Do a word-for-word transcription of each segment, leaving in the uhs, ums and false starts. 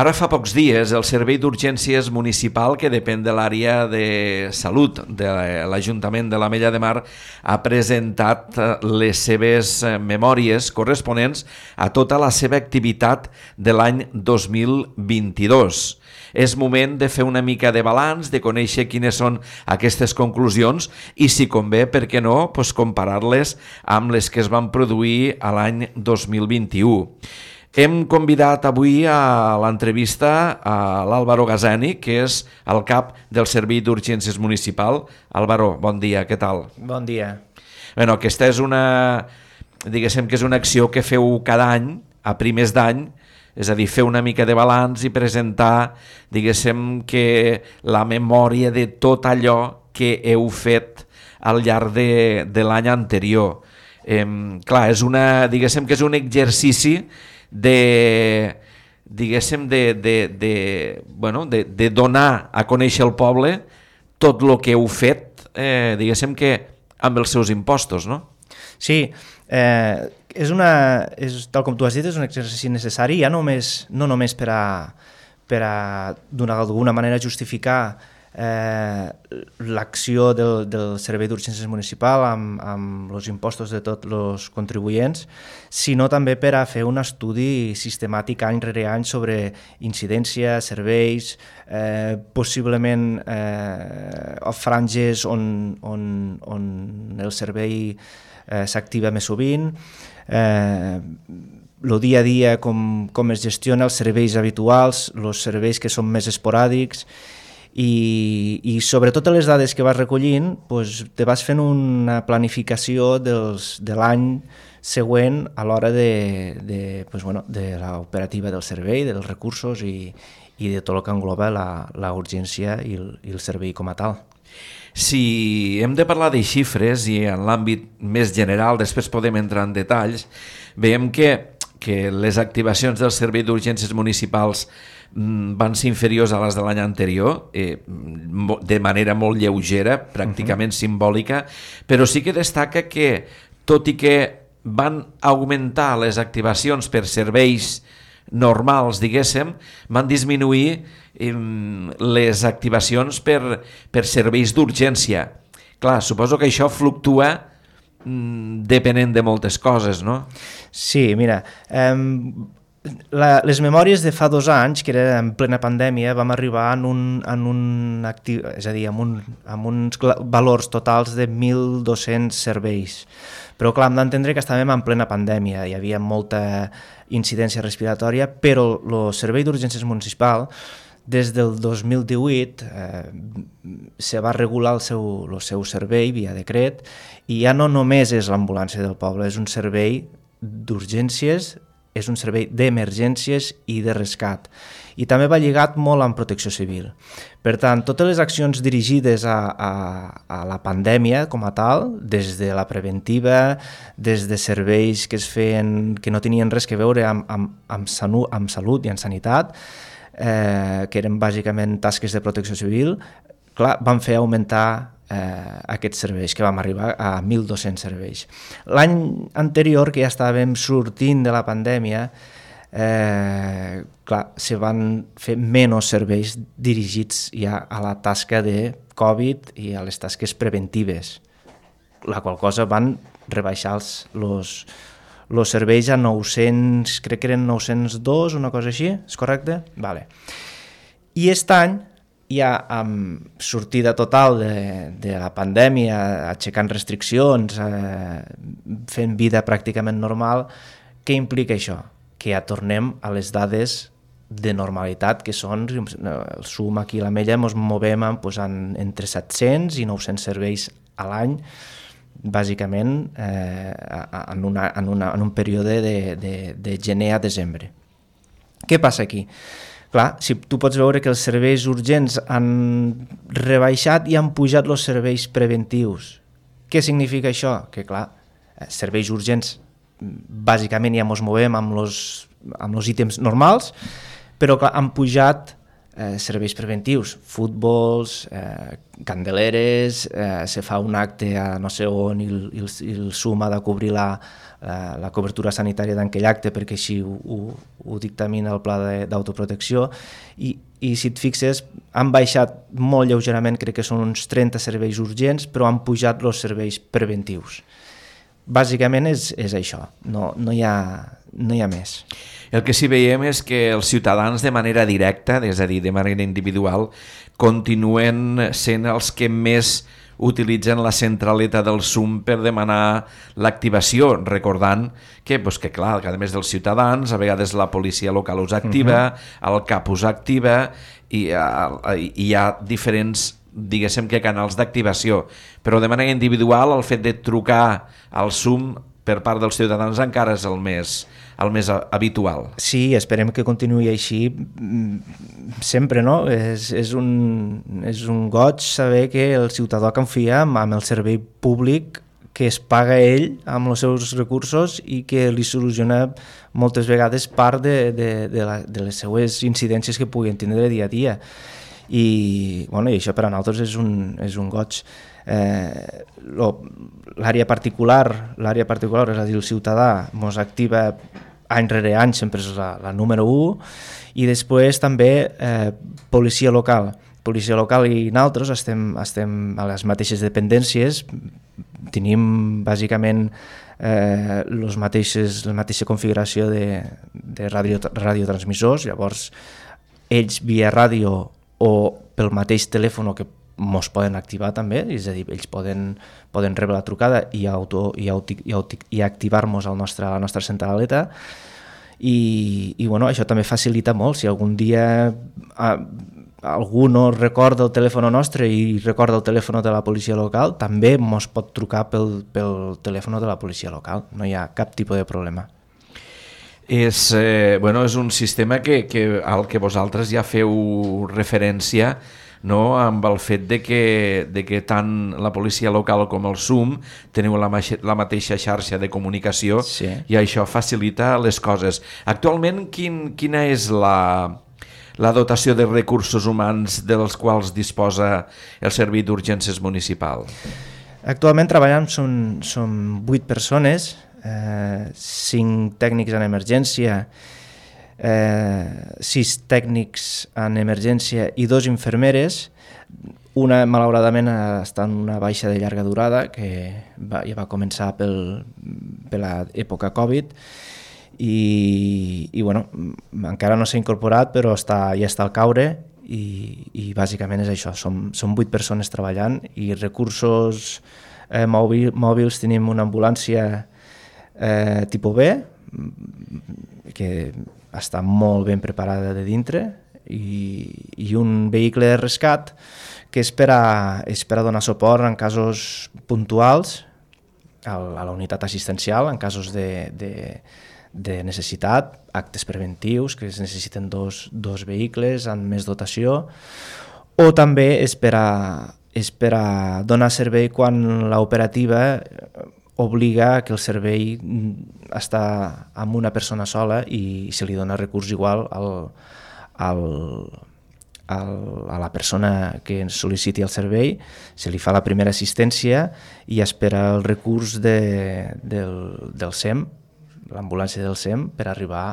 Ara fa pocs dies el Servei d'Urgències Municipal, que depèn de l'àrea de salut de l'Ajuntament de l'Ametlla de Mar, ha presentat les seves memòries corresponents a tota la seva activitat de l'any dos mil vint-i-dos. És moment de fer una mica de balanç, de conèixer quines són aquestes conclusions i, si convé, per què no, doncs comparar-les amb les que es van produir a l'any dos mil vint-i-u. Hem convidat avui a l'entrevista a l'Álvaro Gazani, que és el cap del Servei d'Urgències Municipal. Álvaro, bon dia, què tal? Bon dia. Bueno, aquesta és una, diguéssim que és una acció que feu cada any, a primers d'any, és a dir, fer una mica de balanç i presentar, diguéssim, que la memòria de tot allò que heu fet al llarg de, de l'any anterior. Eh, clar, és una, diguéssim que és un exercici de, diguéssim, de, de, de, bueno, de, de donar a conèixer al poble tot el que heu fet, eh, diguéssim que amb els seus impostos, no? Sí, eh, és una, és, tal com tu has dit, és un exercici necessari, ja només, no només per a, per a d'alguna manera justificar eh, l'acció del, del Servei d'Urgències Municipal amb, amb els impostos de tots els contribuents, sinó també per a fer un estudi sistemàtic any rere any sobre incidència, serveis, eh, possiblement eh, franges on, on, on el servei eh, s'activa més sovint, eh, el dia a dia, com, com es gestiona, els serveis habituals, els serveis que són més esporàdics, i, i sobretot les dades que vas recollint, doncs, te vas fent una planificació dels, de l'any següent a l'hora de, de, doncs, bueno, de l'operativa del servei, dels recursos i, i de tot el que engloba la, la urgència i el, i el servei com a tal. Si hem de parlar de xifres i en l'àmbit més general, després podem entrar en detalls, veiem que, que les activacions del Servei d'Urgències Municipals van ser inferiors a les de l'any anterior, eh, de manera molt lleugera, pràcticament uh-huh. simbòlica, però sí que destaca que, tot i que van augmentar les activacions per serveis normals, diguéssim, van disminuir eh, les activacions per, per serveis d'urgència. Clar, suposo que això fluctua mm, depenent de moltes coses, no? Sí, mira, eh, La, les memòries de fa dos anys, que era en plena pandèmia, vam arribar en un, en un actiu, és a dir, amb, un, amb uns valors totals de mil dos-cents serveis. Però clar, hem d'entendre que estàvem en plena pandèmia, hi havia molta incidència respiratòria, però el Servei d'Urgències Municipal, des del dos mil divuit, eh, se va regular el seu, el seu servei via decret, i ja no només és l'ambulància del poble, és un servei d'urgències, és un servei d'emergències i de rescat. I també va lligat molt amb protecció civil. Per tant, totes les accions dirigides a, a, a la pandèmia com a tal, des de la preventiva, des de serveis que es feien, que no tenien res que veure amb, amb, amb, sanu, amb salut i amb sanitat, eh, que eren bàsicament tasques de protecció civil, clar, van fer augmentar Eh, aquests serveis, que vam arribar a mil dos-cents serveis. L'any anterior, que ja estàvem sortint de la pandèmia, eh, clar, se van fer menys serveis dirigits ja a la tasca de Covid i a les tasques preventives, la qual cosa van rebaixar els, los, los serveis a nou-cents, crec que eren nou-cents dos, una cosa així, és correcte? Vale. I aquest any, ja amb sortida total de, de la pandèmia, aixecant restriccions, eh, fent vida pràcticament normal, què implica això? Que ja tornem a les dades de normalitat, que són, el sum aquí a l'Ametlla, ens movem en, pues, en, entre set-cents i nou-cents serveis a l'any, bàsicament eh, en, una, en, una, en un període de, de, de gener a desembre. Què passa aquí? Clar, si tu pots veure que els serveis urgents han rebaixat i han pujat els serveis preventius. Què significa això? Que clar, serveis urgents bàsicament ja ens movem amb els amb els ítems normals, però clar, han pujat eh, serveis preventius, futbols, eh, candeleres, eh, se fa un acte a no sé on i el, i el, i el SUM ha de cobrir la, la, la cobertura sanitària d'aquell acte perquè així ho, ho, ho dictamina el pla d'autoprotecció i, i si et fixes han baixat molt lleugerament, crec que són uns trenta serveis urgents, però han pujat els serveis preventius. Bàsicament és, és això, no, no, hi ha, no hi ha més. El que sí veiem és que els ciutadans de manera directa, és a dir, de manera individual, continuen sent els que més utilitzen la centraleta del SUM per demanar l'activació, recordant que, pues, que clar, que a més dels ciutadans, a vegades la policia local us activa, uh-huh. el CAP us activa, i, i hi ha diferents, diguéssim que canals d'activació, però de manera individual el fet de trucar al SUM per part dels ciutadans encara és el més, el més habitual. Sí, esperem que continuï així sempre, no? És, és, un, és un goig saber que el ciutadà confia amb el servei públic que es paga ell amb els seus recursos i que li soluciona moltes vegades part de, de, de, la, de les seues incidències que puguin tindre dia a dia. I, bueno, i això per a nosaltres és un, és un goig. Eh, l'àrea particular, l'àrea particular, és a dir, el ciutadà ens activa any rere any, sempre és la, la número u, i després també eh, policia local. Policia local i nosaltres estem, estem a les mateixes dependències, tenim bàsicament eh, los mateixes, la mateixa configuració de, de radio, radiotransmissors, llavors ells via ràdio o pel mateix telèfon que ens poden activar també, és a dir, ells poden, poden rebre la trucada i, auto, i, auto, i, auto, i activar-nos a la nostra, la nostra centraleta i, i bueno, això també facilita molt. Si algun dia a, algú no recorda el telèfon nostre i recorda el telèfon de la policia local, també ens pot trucar pel, pel telèfon de la policia local, no hi ha cap tipus de problema. És, eh, bueno, és un sistema que, que, al que vosaltres ja feu referència, no? Amb el fet de que, de que tant la policia local com el SUM teniu la, la mateixa xarxa de comunicació, sí. I això facilita les coses. Actualment, quin, quina és la, la dotació de recursos humans dels quals disposa el Servei d'Urgències Municipal? Actualment treballant són, són vuit persones, eh, cinc tècnics en emergència, Eh, sis tècnics en emergència i dos infermeres. Una, malauradament, està en una baixa de llarga durada, que va, ja va començar pel, per l'època Covid, i, i bueno, encara no s'ha incorporat, però està, ja està al caure, i, i bàsicament és això, som, som vuit persones treballant, i recursos eh, mòbil, mòbils tenim una ambulància eh, tipus B, que està molt ben preparada de dintre, i, i un vehicle de rescat que és per a, és per a donar suport en casos puntuals a, a la unitat assistencial, en casos de, de, de necessitat, actes preventius que es necessiten dos, dos vehicles amb més dotació, o també és per a, és per a donar servei quan l'operativa obliga que el servei està amb una persona sola i se li dona recurs igual al, al, al, a la persona que sol·liciti el servei, se li fa la primera assistència i espera el recurs de, del, del SEM, l'ambulància del SEM, per arribar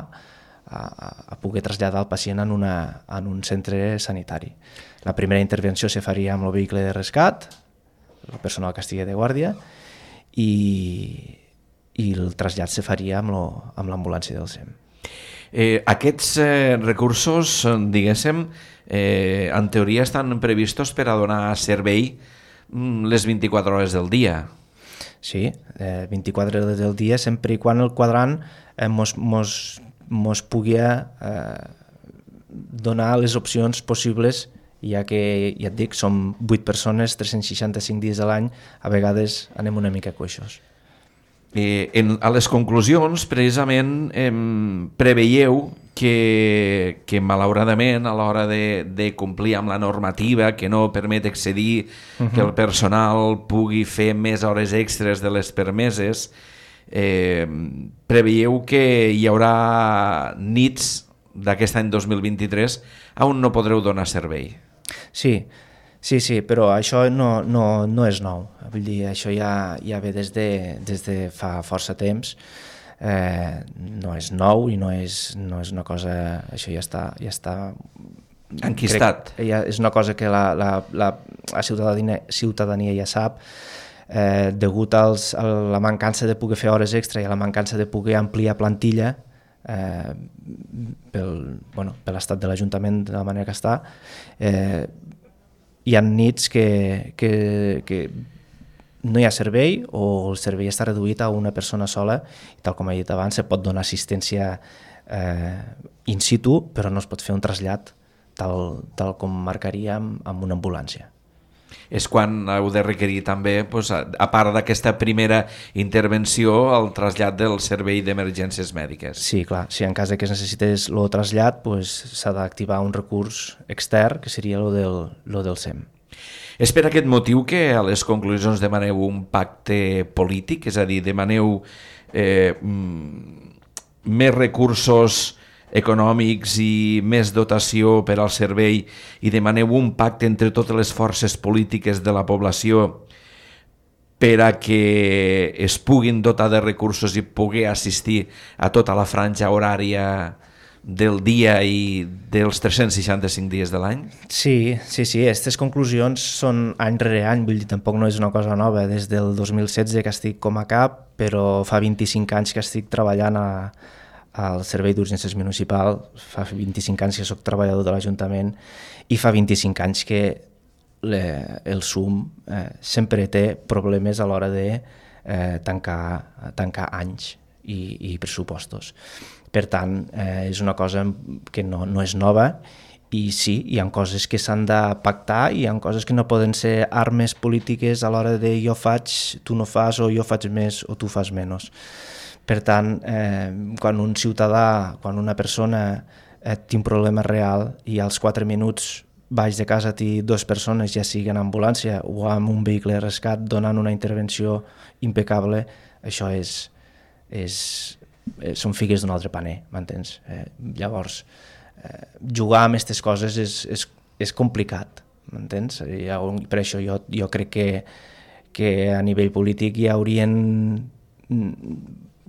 a, a poder traslladar el pacient en, una, en un centre sanitari. La primera intervenció se faria amb el vehicle de rescat, el personal que estigui de guàrdia, i, i el trasllat se faria amb, lo, amb l'ambulància del SEM. Eh, aquests eh, recursos, diguéssim, eh, en teoria estan previstos per a donar servei les vint-i-quatre hores del dia. Sí, eh, vint-i-quatre hores del dia, sempre i quan el quadrant eh, mos, mos, mos pugui eh, donar les opcions possibles, ja que, ja et dic, som vuit persones, tres-cents seixanta-cinc dies a l'any, a vegades anem una mica coixos. Eh, en, a les conclusions, precisament, eh, preveieu que, que malauradament, a l'hora de, de complir amb la normativa, que no permet excedir, uh-huh. que el personal pugui fer més hores extres de les permeses, eh, preveieu que hi haurà nits d'aquest any dos mil vint-i-tres on no podreu donar servei. Sí, sí, sí, però això no, no, no és nou. Vull dir, això ja, ja ve des de, des de fa força temps. Eh, no és nou i no és, no és una cosa... Això ja està... Ja està enquistat. Crec, ja és una cosa que la, la, la, la ciutadania, ciutadania ja sap. Eh, degut als, a la mancança de poder fer hores extra i a la mancança de poder ampliar plantilla eh, pel, bueno, per l'estat de l'Ajuntament de la manera que està, eh, hi ha nits que, que, que no hi ha servei o el servei està reduït a una persona sola i tal com he dit abans se pot donar assistència eh, in situ però no es pot fer un trasllat tal, tal com marcaríem amb una ambulància. És quan heu de requerir també, doncs, a part d'aquesta primera intervenció, el trasllat del servei d'emergències mèdiques. Sí, clar, si en cas que es necessités el trasllat doncs, s'ha d'activar un recurs extern que seria el del, lo del S E M. És per aquest motiu que a les conclusions demaneu un pacte polític, és a dir, demaneu eh, més recursos econòmics i més dotació per al servei i demaneu un pacte entre totes les forces polítiques de la població per a que es puguin dotar de recursos i poder assistir a tota la franja horària del dia i dels tres-cents seixanta-cinc dies de l'any? Sí, sí, sí, aquestes conclusions són any rere any, vull dir, tampoc no és una cosa nova, des del dos mil setze que estic com a cap, però fa vint-i-cinc anys que estic treballant a al Servei d'Urgències Municipal, fa vint-i-cinc anys que soc treballador de l'Ajuntament i fa vint-i-cinc anys que le, el S U M eh, sempre té problemes a l'hora de eh, tancar, tancar anys i, i pressupostos. Per tant, eh, és una cosa que no, no és nova i sí, hi ha coses que s'han de pactar i hi ha coses que no poden ser armes polítiques a l'hora de jo faig, tu no fas, o jo faig més o tu fas menys. Per tant, eh, quan un ciutadà, quan una persona eh, té un problema real i als quatre minuts baix de casa té dues persones, ja sigui en ambulància o amb un vehicle de rescat, donant una intervenció impecable, això és, és, eh, són figues d'un altre paner, m'entens? Eh, llavors, eh, jugar amb aquestes coses és, és, és complicat, m'entens? Per això jo, jo crec que, que a nivell polític hi haurien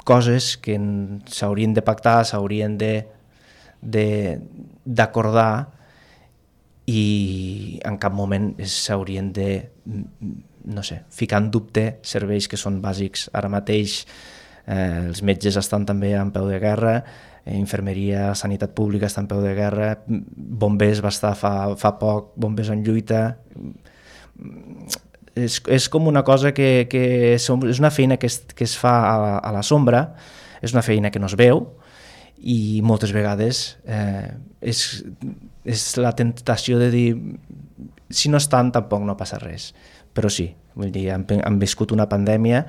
coses que s'haurien de pactar, s'haurien d'acordar i en cap moment s'haurien de, no sé, ficar en dubte serveis que són bàsics. Ara mateix eh, els metges estan també en peu de guerra, eh, infermeria, sanitat pública està en peu de guerra, bombers va estar fa, fa poc, bombers en lluita. És, és com una cosa que, que som, és una feina que es, que es fa a la, a la sombra, és una feina que no es veu i moltes vegades eh, és, és la tentació de dir si no estan tampoc no passa res, però sí, vull dir, hem, hem viscut una pandèmia,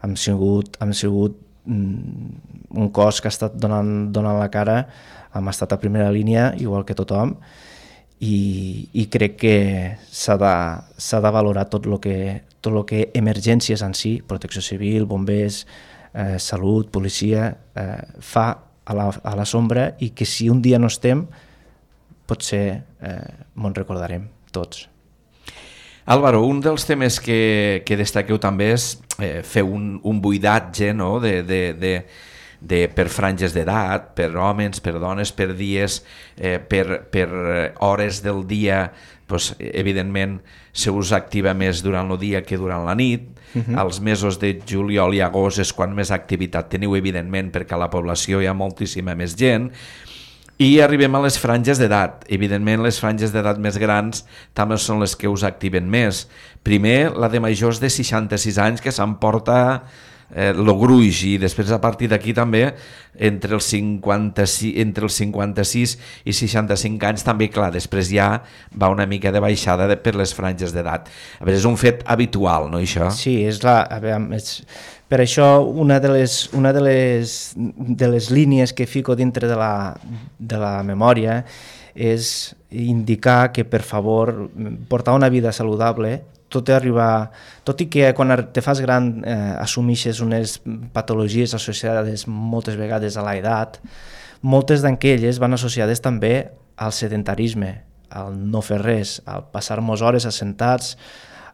hem sigut, hem sigut mm, un cos que ha estat donant, donant la cara, hem estat a primera línia igual que tothom. I, i crec que s'ha de, s'ha de valorar tot el que, tot lo que emergències en si, protecció civil, bombers, eh, salut, policia, eh, fa a la, a la sombra i que si un dia no estem, potser eh, me'n recordarem tots. Álvaro, un dels temes que, que destaqueu també és eh, fer un, un buidatge, no?, de... de, de De, per franges d'edat, per homes, per dones, per dies, eh, per, per hores del dia, doncs, evidentment se us activa més durant el dia que durant la nit. Uh-huh. Als mesos de juliol i agost és quan més activitat teniu, evidentment, perquè a la població hi ha moltíssima més gent. I arribem a les franges d'edat. Evidentment, les franges d'edat més grans també són les que us activen més. Primer, la de majors de seixanta-sis anys, que s'emporta eh, lo gruix, i després a partir d'aquí també entre els, cinquanta-sis, entre els cinquanta-sis i seixanta-cinc anys també, clar, després ja va una mica de baixada de, per les franges d'edat. A veure, és un fet habitual, no, això? Sí, és la, a veure, és, per això una de les, una de les, de les línies que fico dintre de la, de la memòria és indicar que, per favor, portar una vida saludable, tot i arribar, tot i que quan te fas gran eh, assumeixes unes patologies associades moltes vegades a l'edat, moltes d'aquelles van associades també al sedentarisme, al no fer res, al passar-nos hores assentats,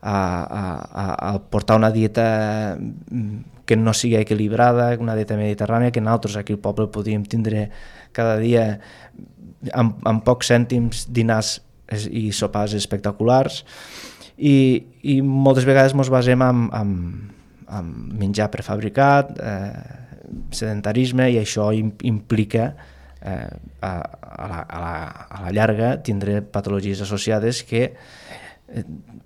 a, a, a, a portar una dieta que no sigui equilibrada, una dieta mediterrània, que nosaltres aquí al poble podíem tindre cada dia amb, amb pocs cèntims dinars i sopars espectaculars, i, i moltes vegades ens basem en, en, en menjar prefabricat, eh, sedentarisme, i això implica eh, a, a, la, a, la, a la llarga tindre patologies associades que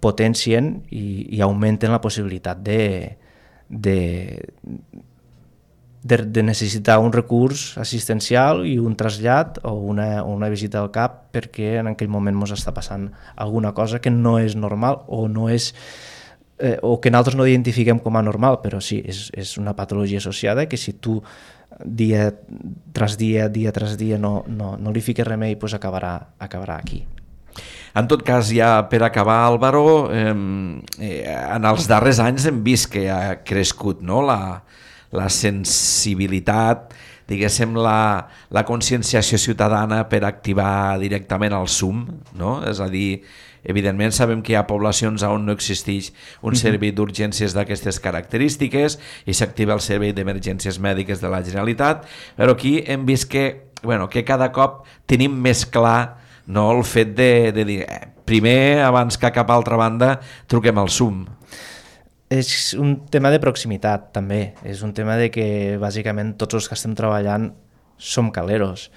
potencien i, i augmenten la possibilitat de, de, de, de necessitar un recurs assistencial i un trasllat o una, una visita al cap perquè en aquell moment ens està passant alguna cosa que no és normal o no és eh, o que nosaltres no identifiquem com a normal, però sí, és, és una patologia associada que si tu dia tras dia, dia tras dia no, no, no li fiques remei, doncs acabarà, acabarà aquí. En tot cas, ja per acabar, Álvaro, eh, en els darrers anys hem vist que ha crescut, no?, la, la sensibilitat, diguéssim, la, la conscienciació ciutadana per activar directament el S U M, no? És a dir, evidentment sabem que hi ha poblacions on no existeix un servei d'urgències d'aquestes característiques i s'activa el servei d'emergències mèdiques de la Generalitat, però aquí hem vist que, bueno, que cada cop tenim més clar, no, el fet de, de dir eh, primer, abans que a cap altra banda, truquem al S U M. És un tema de proximitat també, és un tema de que bàsicament tots els que estem treballant som caleros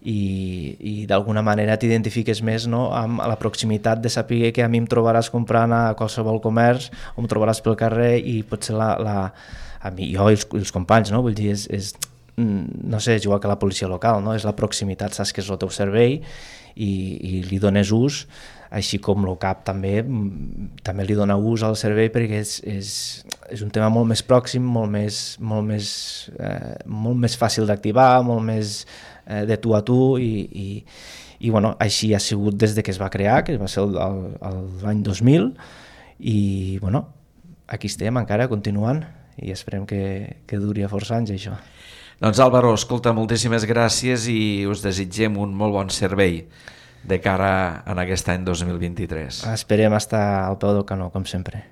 i, i d'alguna manera t'identifiques més, no, amb la proximitat de saber que a mi em trobaràs comprant a qualsevol comerç o em trobaràs pel carrer i potser la, la, a mi, jo i els, els companys, no? Vull dir, és, és, no sé, és igual que la policia local, no? És la proximitat, saps que és el teu servei i, i li dones ús, així com el CAP també també li dona ús al servei perquè és, és, és un tema molt més pròxim, molt més, molt més, eh, molt més fàcil d'activar, molt més eh, de tu a tu i, i, i bueno, així ha sigut des de que es va crear, que va ser l'any dos mil i bueno, aquí estem encara continuant i esperem que, que duri a força anys això. Doncs Álvaro, escolta, moltíssimes gràcies i us desitgem un molt bon servei de cara en aquest any dos mil vint-i-tres. Esperem estar al peu del canó, com sempre.